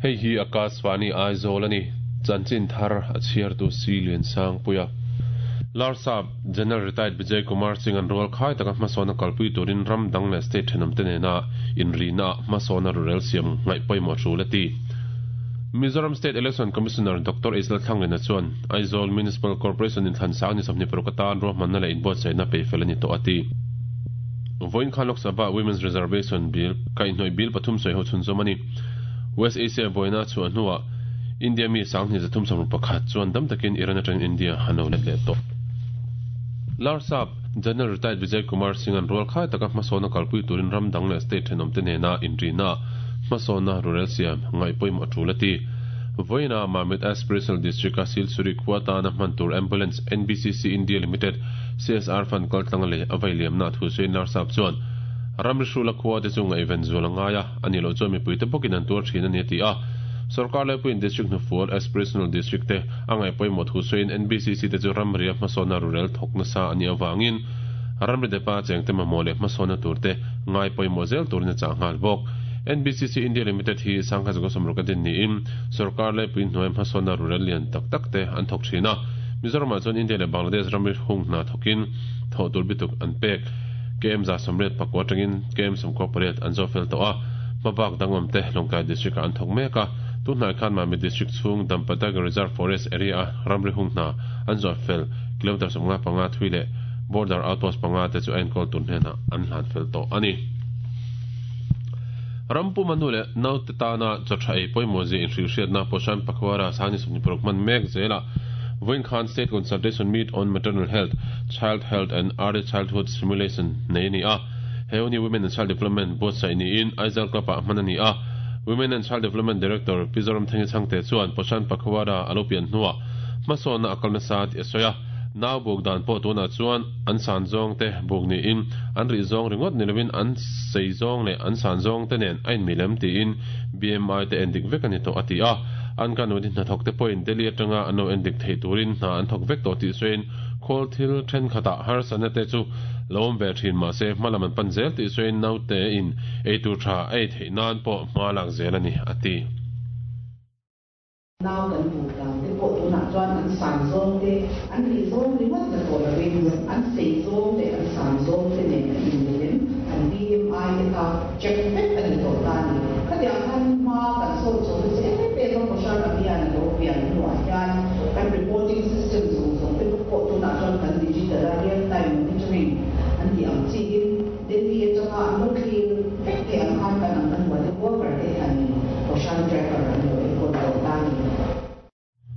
Hei hi Akashvani Aizawl a ni. Chanchin thar a chhiartu Si Liansangpuia. Larsap General Retired Vijay Kumar Singh an rual khai taka hmasawn a kalpui turin ram dang leh state thenawmte nena inrihna ah hmasawn a rurel siam ngaih pawimawh tul a ti. Mizoram State Election Commissioner Doctor Isla Thlanglina chuan Aizawl Municipal Corporation inthlan sang ni 26 atan ruahmanna leh inbuatsaihna peihfel a ni tawh a ti. Vawiin khan Lok Sabha Women's Reservation Bill kaihhnawih bill pathum sawi ho chhunzawm a ni. West Asia buaina chhuah hnuah India mi 2361 chuan dam takin Iran atangin India an lo let leh tawh. Larsap General Retired Vijay Kumar Singh an rual khai taka hmasawnna kalpui turin ram dang leh state thenawmte nena inrihna hmasawnna rurel siam ngaih pawimawh a tul a ti. Vawiinah Mamit Aspirational District-a Silsuri khua tana hman tur Ambulance NBCC India Limited CSR Fund kaltlanga lei a vai liamna thu sawiin Larsap chuan ramri hrula khua te chu ngaihven zual a ngai a, a nih loh chuan mipuite bawkin an tuar thin a ni a ti a. Sorkar laipuiin District hnufual Aspirational District te a ngaih pawimawh thu sawiin NBCC te chu ramria hmasawnna rurel thawk nasa a nih avangin ramri depa chengte mamawh leh hmasawnna tur te ngai pawimawh zel turin a chah nghal bawk. NBCC India Limited hi 1960 a din niin sorkar laipuiin hnuaia hmasawnna rurel lian tak tak te an thawk thin a. Mizoramah chuan India leh Bangladesh ramri hung hna thawkin thawh tur bituk an pek. KM 184 atangin KM 98 an zawh fel tawh a, hmabak dangawm te Lawngtlai District-ah an thawk mek a. Tunhnai khan Mamit District chhung Dampa Tiger Reserve Forest area-a ramri hung hna an zawh fel kilometre 55 thui leh Border Outpost panga te chu a enkawl tur hnenah an hlan fel tawh a ni. Rampuma nu leh naute tana chaw tha ei pawimawh zia inhrilhhriatna Poshan Pakhwara Sangni 26 hman mek zelah vawiin khan State Consultation Meet on Maternal Health, Child Health and Early Childhood Stimulation nei a ni a. He hun hi Women and Child Development buatsaih niin Aizawl Club ah hman a ni a. Women and Child Development Director Pi Zoramthangi Chhangte chuan Poshan Pakhwara a lo pian hnuah hmasawnna a kal nasa tih a sawi a. Nau buk dan pawh tunah chuan an san zawng te buk niin an rih zawng ringawt ni lovin an sei zawng leh an san zawng te nen a inmilem tiin BMI te endik vek a ni tawh a ti a. An kan uti hnathawk te pawhin Delhi atanga an lo endik theih turin hna an thawk vek tawh tih sawiin khawl thil thenkhatah harsatna te chu lo awm ve thin mahse hma lam an pan zel tih sawiin naute in eitur tha a ei theih nan pawh hma lak zel a ni a ti. Nau kan buk dan te pawh tunah chuan an san zawng te, an rih zawng ringawt la tawh lovin an sei zawng leh an san zawng te nen a inmelem an BMI te kha check vek a ni tawh ta a ni. Khatiang khan hma kan sawn chho nasa em em a, Poshan Abhiyan a lo pian hnuah hian kan reporting system zawng zawng te pawh tunah chuan kan digital a, real time monitoring an tih ang chiin Delhi atanga an lo thlir vek thei ang khan kan anganwadi worker te hianin Poshan tracker an lo enkawl tawh ta a ni.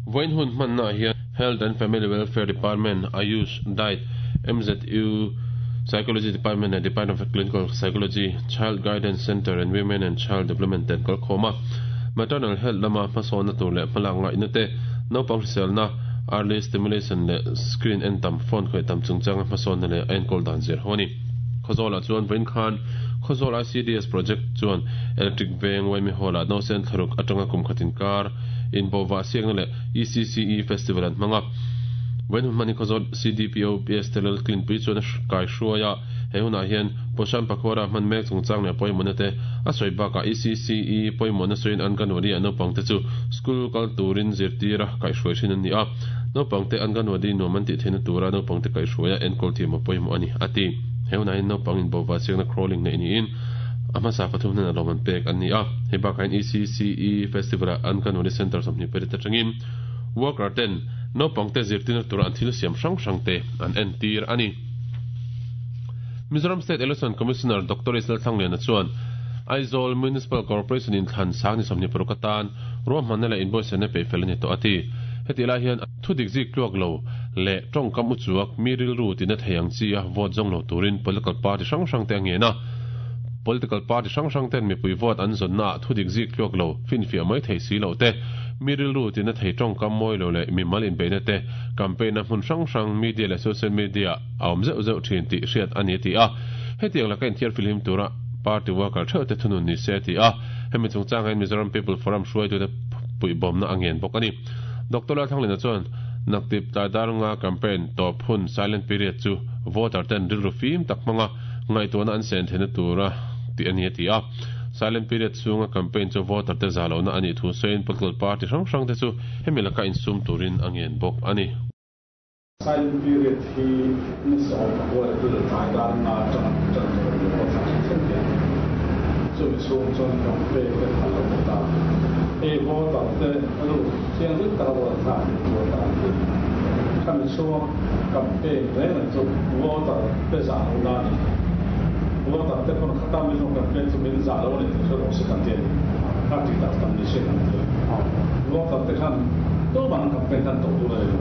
Vawiin hun hmannaah hian Health and Family Welfare Department, Ayush, Diet, MZU, Psychology Department leh Department of Clinical Psychology, Child Guidance Centre and Women and Child Development te an kal khawm a. Maternal Health lama hmasawnna tur leh hmalak ngaihna te, naupang hriselna, early stimulation leh screen en tam, phone khawih tam chungchanga hmasawnna leh a enkawl dan zir ho a ni. Khawzawlah chuan vawiin khan Khawzawl ICDS Project chuan Electric Veng Waimi Hall-ah Nausen thlaruk atanga kum khat inkar inbawhvah siakna leh ECCE Festival an hmang a. Vawiin hun hman hi Khawzawl CDPO PS Telal Klinpui chuan a kai hruai a, he hunah hian Poshan Pakhwara hman mek chungchang leh pawimawhna te a sawi bakah ECCE pawimawhna sawiin Anganwadi ah naupangte chu school kal turin zirtir a kaihhruai thin an ni a. Naupangte Anganwadi nuam an tih theihna tura naupangte kaihhruaia enkawl thiam a pawimawh a ni, a ti. He hunah hian naupang inbawhvah chiakna crawling neih niin a hmasa pathum hnenah lawmman pek an ni a. Hei bakah hian ECCE Festival-ah Anganwadi Centre 28 atangin worker ten naupangte zirtirna tura an thil siam hrang hrangte an entir a ni. Mizoram State Election Commissioner Doctor Israel Thlangliana chuan Aizawl Municipal Corporation inthlan sang ni 26 atan ruahmanna leh inbuatsaihna peih fel a ni tawh a ti. Hetih lai hian thu dik zik tluak lo leh tawngkam uchuak mi rilru tina thei ang chi a vote zawng lo turin political party hrang hrang te a ngen a. Political party hrang hrang ten mipui vote an zawnna ah thu dik zik tluak lo finfiah mai thei si loh te, mi rilru tina thei tawngkam mawi lo leh mimal inbeihna te campaign a hmun hrang hrang media leh social media a awm zeuh zeuh thin tih hriat a ni a ti a. Hetiang laka inthiar filhim tura party worker theuh te thunun ni se a ti a. Hemi chungchangah hian Mizoram People Forum hruaitute puihbawmna a ngen bawk a ni. Doctor Lalthanglina chuan Naktip tlai dar nga campaign tawp hun silent period chu voter ten rilru fim tak hmanga ngaihtuahna an sen theihna tura tih a ni a ti a. Silent period chhunga campaign chu voter te zah lohna a nih thu sawiin political party hrang hrang te chu hemi laka insum turin a ngen bawk a ni. Silent period hi ni 10 April tlai dar nga atanga tan tur a ni a, thla thleng thleng hian chumi chhung chuan campaign te phal lo ta ta. Hei voter te ru thianghlim taka vote thlak theih tur atan hi khami chhunga campaign reng reng chu voter te zah lo na a ni. Voter te pawn khata min rawn campaign chu min zah lo a ni tih hre rawh se kan ti a ni. Kha tih tak tam ni se kan ti a. Voter te khan tumah an campaign khan tawh tur a ni lo.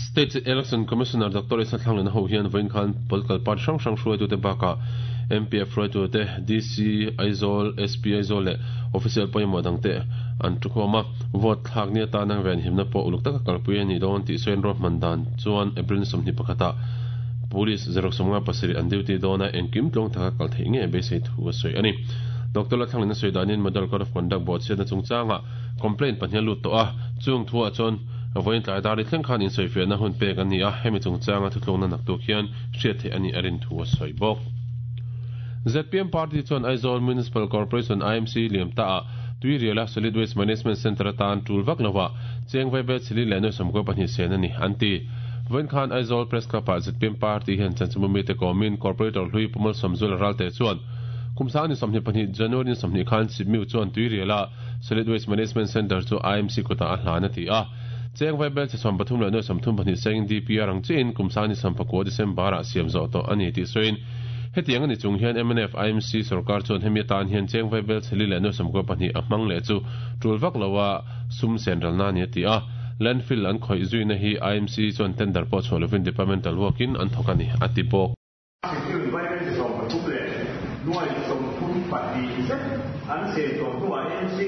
State Election Commissioner Doctor Isa Thlanglena ho hian vawiin khan political party hrang hrang hruaitute bakah MPF hruaitute, DC Aizawl, SP Aizawl leh official pawimawh dangte an thukhawm a. Vote thlak ni atana venhimna pawh uluk taka kalpui a nih dawn tih sawiin ruahman dan chuan April ni 21 ah Police zaruk 57 an duty dawn a, engkim tluang taka kal theih ngei beisei thu a sawi a ni. Doctor Lalthlanglena sawi danin Model Code of Conduct bawhchhiatna chungchangah complaint pahnih a lut tawh a, chung thuah chuan Vawiin tlai dar i thleng khan insawifiahna hun pek a ni a, hemi chungchanga thutlukna naktuk hian hriat theih a nih a rin thu a sawi bawk. Zpm party chuan Aizawl Municipal Corporation, IMC, liam ta ah Tuiriala Solid Waste Management Centre atan tul vak lovah cheng vaibel chili leh nuai 92 sen a ni, an ti. Vawiin khan Aizawl Press Club ah zpm party hian chanchinbu mite kawmin Corporator hlui Pu Malsawmzuala Ralte chuan kum sang ni 22 January ni 20 khan Sipmiu chuan Tuiriala Solid Waste Management Centre chu IMC kutah a hlan a ti a. Cheng vaibel che 30 leh nuai 32 sengin DPR ang chiahin kum sang ni 19 December-ah siam zawh tawh a ni tih sawiin hetiang a ni chung hian mnf IMC sorkar chuan hemi atan hian cheng vaibel che li leh nuai 92 a hmang leh chu tul vak loa sum sen ralna a ni a ti a. Landfill an khawih zuina hi IMC chuan tender pawh chhuah lovin departmental work-in an thawk a ni a ti bawk. Security vaibel chi 13 leh nuai 32 zet an chei tawh hnuah MC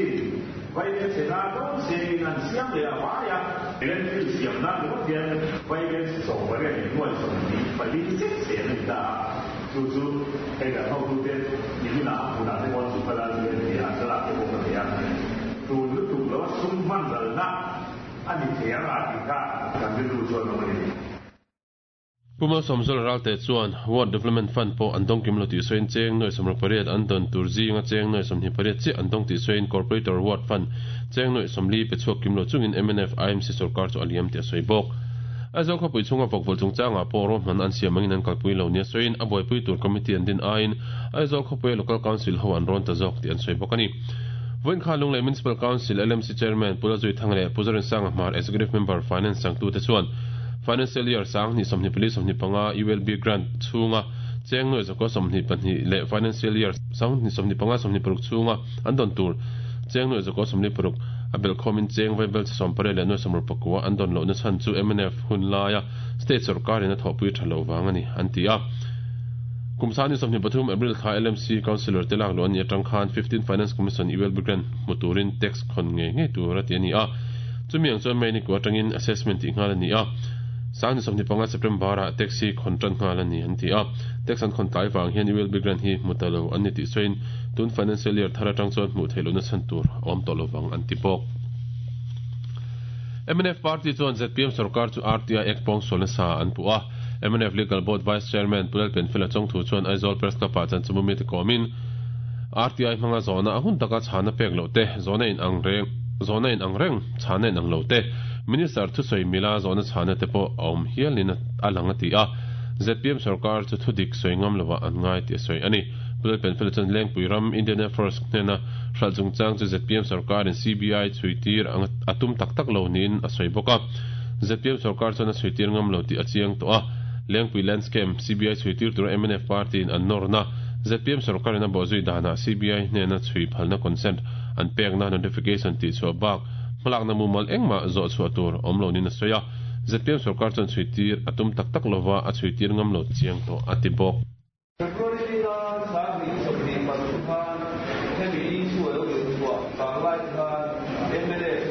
vaibel chhe na dawn sengin an siam leh a vai a, landfill siam nan ringawt hian vaibel chi 18 leh nuai 24 zet chen a ni ta a, chu chu hei kan hotute niminah a hmunah te pawh chu kal a zu en thei a, thlalak te pawh ka nei a, tun lutuk lo a sum hman ralna a ni thei ang a tih kha kan rilru chuan awm a ni. Pu Malsawmzuala Ralte chuan Ward Development Fund pawh an dawng kim lo tih sawiin cheng nuai 68 an dawn tur zinga cheng nuai 28 chiah an dawng tih sawiin Corporator Ward Fund cheng nuai 40 pe chhuak kim lo chungin mnf IMC sorkar chu a liam tih a sawi bawk. Aizawl khawpui chhunga vawkvawlh chungchangah pawh ruahman an siam angin an kalpui lo nia sawiin a buaipui tur committee an din aiin Aizawl khawpuia Local Council ho an rawn ta zawk tih an sawi bawk a ni. Vawiin khan Lunglei Municipal Council LMC Chairman Pu Lazuithanga leh Pu Zorinsanga Hmar Executive Member Finance changtute chuan Financial Year 2024 25 ULB Grant chhunga cheng nuai zakua 22 leh Financial Year 2025 26 chhunga an dawn tur cheng nuai zakua 46 a belhkhawmin cheng vaibel chi 80 leh nuai 69 an dawn lohna chhan chu mnf hun laia state sorkarin a thawhpui tha loh vang a ni, an ti a. Kum 2023 April thla LMC Councillor te lak luh a nih atang khan 15 Finance Commission ULB Grant hmu turin tax khawn ngei ngei tur a ti a ni a. Chumi ang chuan May ni kua atangin assessment tih nghal a ni a, 2025 September ah tax hi khawn tan nghal a ni an ti a. Tax an khawn tlai vang hian ULB grant hi hmu ta lo an ni tih sawiin tun financial year thar atang chuan hmuh theih lohna chhan tur a awm tawh lovang an ti bawk. Mnf party chuan zpm sorkar chu RTI Act pawngsual nasa an puh a. Mnf Legal Board Vice Chairman Pu Lalpenfela Chawngthu chuan Aizawl Press Club ah chanchimawm mite kawmin RTI hmanga zawhna a hun taka chhana pek loh te, zawhna in ang reng zawhna in ang reng chhana in ang lo te, Minister thusawi mila zawhna chhana te pawh a awm hialin a lang a ti a. Zpm sorkar chu thudik sawi ngam lovah an ngai tih a sawi a ni. Pu Lalpenfela chuan Lengpui ram Indian Air Force hnena hralh chungchang chu zpm sorkarin CBI chhuitir a tum tak tak lo niin a sawi bawk a. Zpm sorkar chuan a chhuitir ngam lo tih a chiang tawh a. Lengpui Land Scam CBI chhuitir tura mnf party-in an nawrna zpm sorkarin a bawhzui danah CBI hnena chhui phalna consent an pekna notification tih chhuah bak hmalakna mumal engmah zawh chhuah tur awm lo niin a sawi a. Zpm sorkar chuan chhuitir a tum tak tak lova a chhuitir ngam lo chiang tawh a ti bawk. February linga 2023 khan hemi issue a lo in chhuah vang lai khan mnf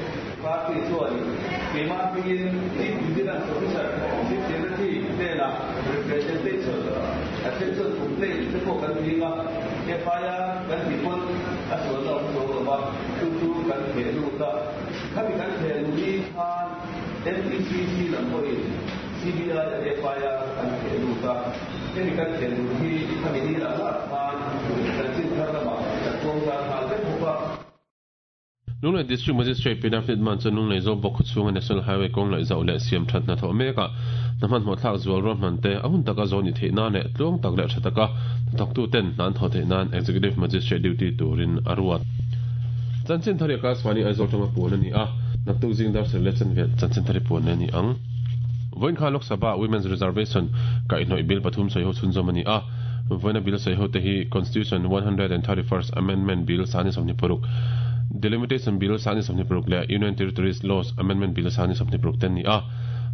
party chuanin keimah hmingin Chief Vigilance Officer, Chief Secretary hnenah representation, attention complaint te pawh kan ding a, FIR kan tih pawn a sualna awm chuang lo va, chu chu kan theh lut a. Khami kan theh luh ni khan MPCC lam pawhin CBI a FIR an theh lut a, hemi kan theh luh hi khami ni lah lah khan chanchin thar zar nghal vek bawk a. Lunglei District Magistrate Pinaf Nitman chuan Lunglei Zawlbawk khawchhunga National Highway kawng laih zauh leh siam that hnathawh mekah hna hmanhmawh thlak zual ruahman te a hun taka zawn ni theih nan leh tluang tak leh tha taka hnathawktuten hna an thawh theih nan Executive Magistrate duty turin a ruat. Chanchin thar hi Akashvani Aizawl tanga puan a ni a, naktuk zing dar sarih leh chanve chanchin thar hi puan leh a ni ang. Vawiin khan Lok Sabha Women's Reservation kaihhnawih bill pathum sawiho chhunzawm a ni a. Vawiina bill sawiho te hi Constitution 131st Amendment Bill sani 26, Delimitation Bill sani 26 leh Union Territories Laws Amendment Bill sani 26 te an ni a.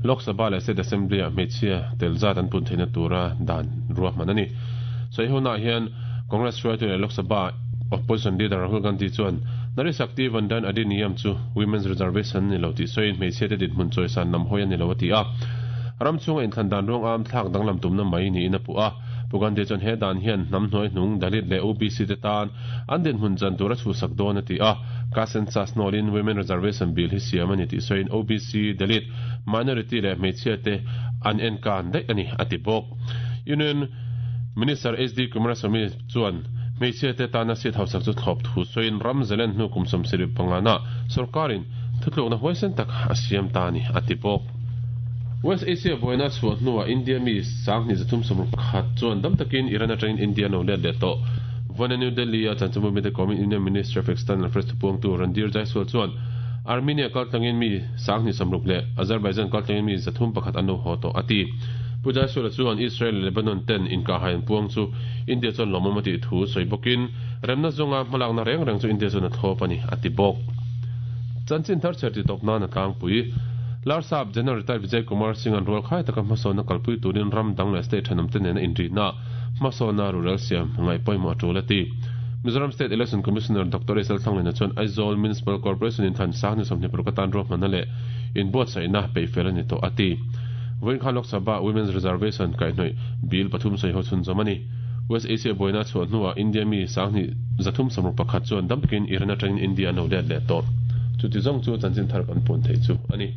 Lok Sabha leh State Assembly-ah hmeichhia tel zat an pun theihna tura dan ruahman a ni. Sawihonaah hian Congress hruaitu leh Lok Sabha Opposition Leader Rahul Gandhi chuan Nari Shakti Vandan Adhiniyam chu Women's Reservation a ni lo tih sawiin hmeichhiate dinhmun chawisan lam hawi a ni lo a ti a. Ram chhunga inthlan dan ruang am thlak danglam tumna mai niin a puh a. Pu Gandhi chuan he dan hian hnam hnuai hnung Dalit leh OBC te tan an dinhmun chan tur a chhuhsak dawn a ti a. Caste census nawlin Women Reservation Bill hi siam a ni tih sawiin OBC, Dalit, Minority leh hmeichhiate an enkan daih a ni a ti bawk. Union Minister HD Kumaraswamy chuan hmeichhiate tana seat hausak chu thlawp thu sawiin ram zalen hnu kum 75 na sorkarin thutlukna huaisen tak a siam ta a ni a ti bawk. West Asia buaina chhuah hnuah India mi 3361 chuan dam takin Iran atangin India an lo let leh tawh. Vawiina New Delhi-a chanchinbu mite kawmin Union Ministry of External Affairs thupuangtu Randhir Jaiswal chuan Armenia kaltlangin mi 260 leh Azerbaijan kaltlangin mi 301 an lo haw tawh a ti. Pu Jaiswal-a chuan Israel leh Lebanon ten inkahhai an puang chu India chuan lawmawm a tih thu sawi bawkin remna zawnga hmalakna reng reng chu India chuan a thlawp a ni a ti bawk. Chanchin thar chher titawp nan a tlangpui. Larsap General Retired Vijay Kumar Singh an rual khai taka hmasawnna kalpui turin ram dang leh state thenawmte nena inrihna hmasawnna rural siam ngaih pawimawh a tul a ti. Mizoram State Election Commissioner Doctor SL Thanglena chuan Aizawl Municipal Corporation in thlan sang ni 26 atan ruahmanna leh inbuatsaihna peihfel a ni tawh a ti. Vawiin khan Lok Sabha Women's Reservation kaihhnawih bill pathum sawiho chhunzawm a ni. West Asia buaina chhuah hnuah India mi 2361 chuan dam takin Iran atangin India an lo let leh tawh. Chuti zawng chu chanchin thar kan puan theih chu a ni.